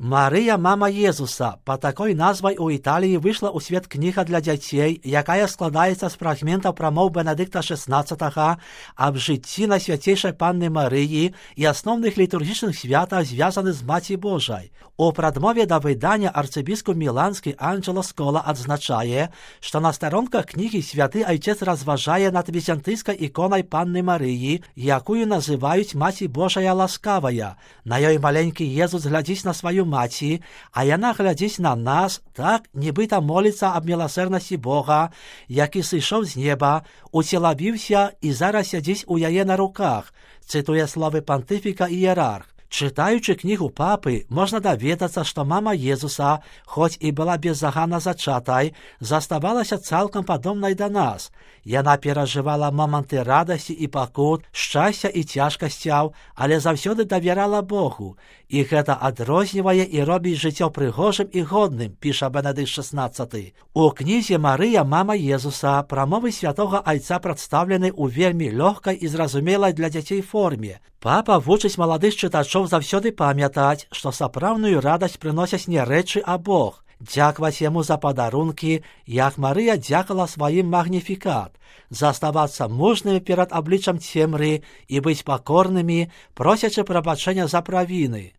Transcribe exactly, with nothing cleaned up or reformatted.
Марыя, мама Езуса. По такой назвай у Італіі выйшла ў свет кніга для дзяцей, якая складаецца з фрагментаў прамоў Бенедыкта шэснаццатага аб жыцці Найсвяцейшай Панны Марыі і асноўных літургічных святах, звязаных з Маці Божай. У прадмове да выдання арцыбіскуп міланскі Анджело Скола адзначае, што на старонках кнігі святы айцец разважае над візантыйскай іконай Панны Марыі, якую называюць Маці Божая ласкавая. На ёй маленькі Езус глядзіць на сваю маці, а яна глядзіць на нас, так, нібыта моліцца аб міласэрнасці Бога, які сышоў з неба, уцелабіўся і зараз сядзіць у яе на руках, цытуе словы пантыфіка іерарх. Чытаючы кнігу папы, можна даведацца, што мама Езуса, хоць і была беззаганна зачатай, заставалася цалкам падобнай да нас. Яна перажывала моманты радасці і пакут, шчасця і цяжкасцяў, але заўсёды давярала Богу. І гэта адрознівае і робіць жыццё прыгожым і годным, піша Бенедыкт шэснаццаты. У кнізе «Марыя, мама Езуса» прамовы святога айца прадстаўлены ў вельмі лёгкай і зразумелай для дзяцей форме. Папа вучыць маладых чытачоў заўсёды памятаць, што сапраўдную радасць прыносяць не рэчы, а Бог. Дзякаваць яму за падарункі, як Марыя дзякала сваім магніфікат, заставацца мужнымі перад абліччам цемры і быць пакорнымі, просячы прабачэння за правіны.